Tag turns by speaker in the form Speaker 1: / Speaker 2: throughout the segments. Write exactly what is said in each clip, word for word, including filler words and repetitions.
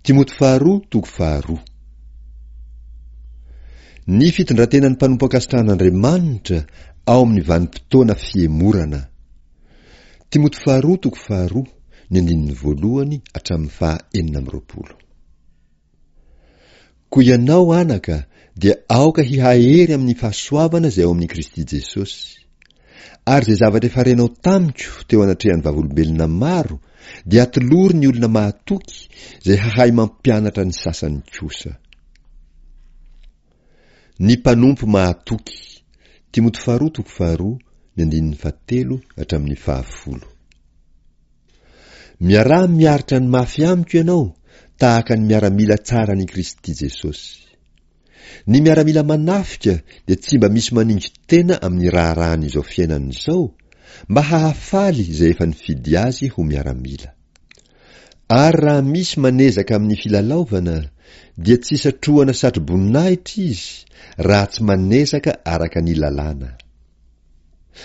Speaker 1: Timoty faharoa toko faharoa. Ny fitondrantenan'ny mpanompo ankasitrahan'Andriamanitra ao amin'ny vanim-potoana fihemorana. Timoty faharoa toko faharoa, ny andininy voalohany hatramin'ny faha enina amby roapolo. Koa ianao anaka dia aoka hihahery amin'ny fahasoavana izay ao amin'i Kristy Jesosy. Ary izay zavatra efa renao tamiko teo anatrehan'ny vavolombelona maro dia atolory ny olona mahatoky izay hahay mampianatra ny sasany kosa. Ny mpanompo mahatoky. Timoty faharoa toko faharoa, ny andininy fahatelo hatramin'ny fahafolo. Miaraha miaritra ny mafy amiko ianao tahaka ny miaramila tsaran'i Kristy Jesosy. Ny miaramila manafika dia tsy mba misy maningo-tena amin'ny raharahan'izao fiainana izao, mba hahafaly izay efa nifidy azy ho miaramila. Ary raha misy manezaka amin'ny filalaovana, dia tsy satrohana satro-boninahitra izy raha tsy manezaka araka ny lalàna.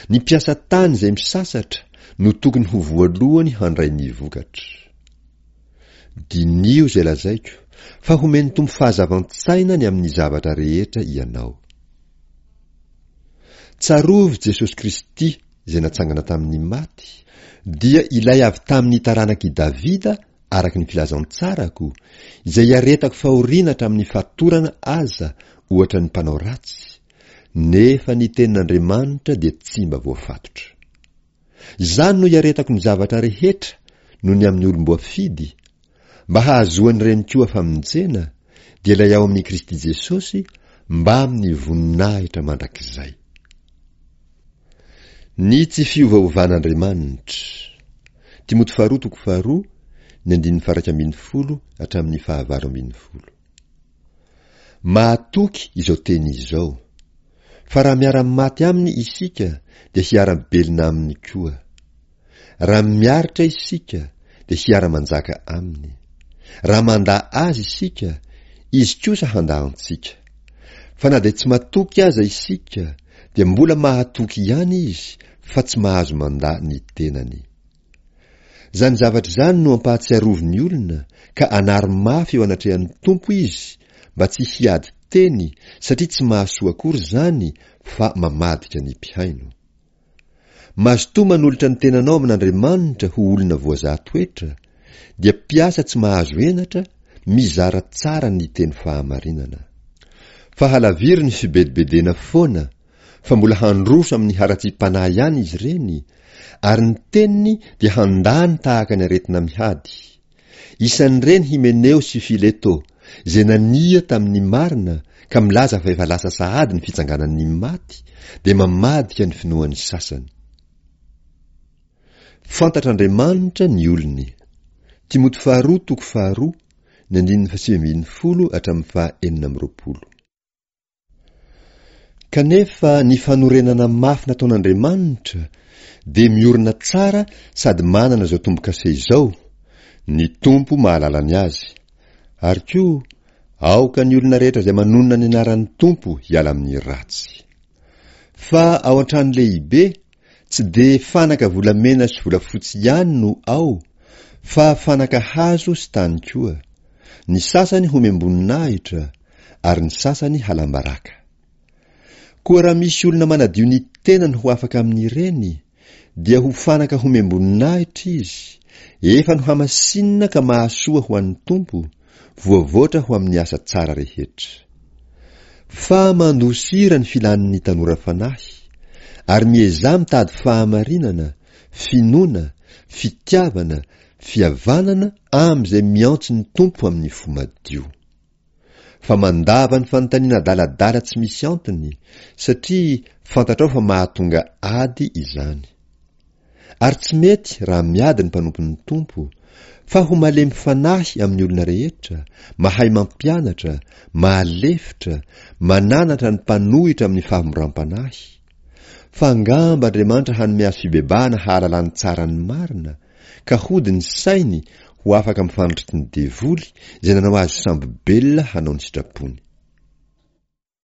Speaker 1: Ny mpiasa tany izay misasatra no tokony ho voalohany handray ny vokatra. Diniho izay lazaiko, fa homen'ny Tompo fahazavan-tsaina ny amin'ny zavatra rehetra ianao. Tsarovy Jesosy Kristy izay natsangana tamin'ny maty, dia ilay avy tamin'ny taranak'i Davida araka ny filazantsarako, izay iaretako fahoriana hatramin'ny fatorana aza ohatra ny mpanao ratsy, nefa ny tenin'Andriamanitra dia tsy mba voafatotra. Izany no iaretako ny zavatra rehetra noho ny amin'ny olom-boafidy, mba hahazoan'ireny koa famonjena, dia ilay ao amin'i Kristy Jesosy, mbamin'ny voninahitra mandrakizay. Ny tsy fiovaovan'Andriamanitra. Timoty faharoa toko faharoa, ny andininy faha-iraika ambin'ny folo hatramin'ny fahavalo ambin'ny folo. Mahatoky izao teny izao, fa raha miara-maty aminy isika dia hiara-belona aminy koa. Raha miaritra isika dia hiara-manjaka aminy. Raha mandà azy isika, izy kosa handà antsika. Fa na dia tsy matoky aza isika dia mbola mahatoky ihany izy fa tsy mahazo mandà ny tenany. Izany zavatra izany no ampahatsiarovy ny olona ka anaro mafy eo anatrehan'ny Tompo izy mba tsy hiady teny satria tsy mahasoa akory izany fa mamadika ny mpihaino. Mazotoa manolotra ny tenanao amin'Andriamanitra ho olona voazaha toetra, dia mpiasa tsy mahazo henatra, mizara tsara ny teny fahamarinana. Fa halaviro ny fibedibedena foana, fa mbola handroso amin'ny haratsiam-panahy ihany izy ireny, ary ny teniny dia handany tahaka ny aretina mihady. Isan'ireny Hymeneo sy Fileto, izay nania tamin'ny marina ka milaza fa efa lasa sahady ny fitsanganan'ny maty, dia mamadika ny finoan'ny sasany. Fantatr'Andriamanitra ny olony. Timoty faharoa toko faharoa, ny andininy fahasivy ambin'ny folo hatramin'ny faha enina amby roapolo. Kanefa ny fanorenana mafy nataon'Andriamanitra dia miorina tsara sady manana izao tombo-kase izao, ny Tompo mahalala ny azy. Ary koa, aoka ny olona rehetra izay manonona ny anaran'ny Tompo hiala amin'ny ratsy. Fa ao an-trano lehibe, tsy dia fanaka volamena sy volafotsy ihany no ao, fa fanaka hazo sy tany koa. Ny sasany homem-boninahitra, ary ny sasany halam-baraka. Koa raha misy olona manadio ny tenany ho afaka amin'ireny, dia ho fanaka homem-boninahitra izy, efa nohamasinina ka mahasoa ho an'ny Tompo, voavoatra ho amin'ny asa tsara rehetra. Fa mandosira ny filan'ny tanora fanahy, ary miezaha mitady fahamarinana, finoana, fitiavana, fihavanana amin'izay miantso ny Tompo amin'ny fo madio. Fa mandava ny fanontaniana adaladala tsy misy antony, satria fantatrao fa mahatonga ady izany. Ary tsy mety raha miady ny mpanompon'ny Tompo, fa ho malemy fanahy amin'ny olona rehetra, mahay mampianatra, mahalefitra, mananatra ny mpanohitra amin'ny fahamoram-panahy. Fa angamba Andriamanitra hanome azy fibebahana hahalalany tsara ny marina, ka hody ny sainy ho afaka amin'ny fandriky ny devoly izay nanao azy sambo-belona hanao ny sitrapony.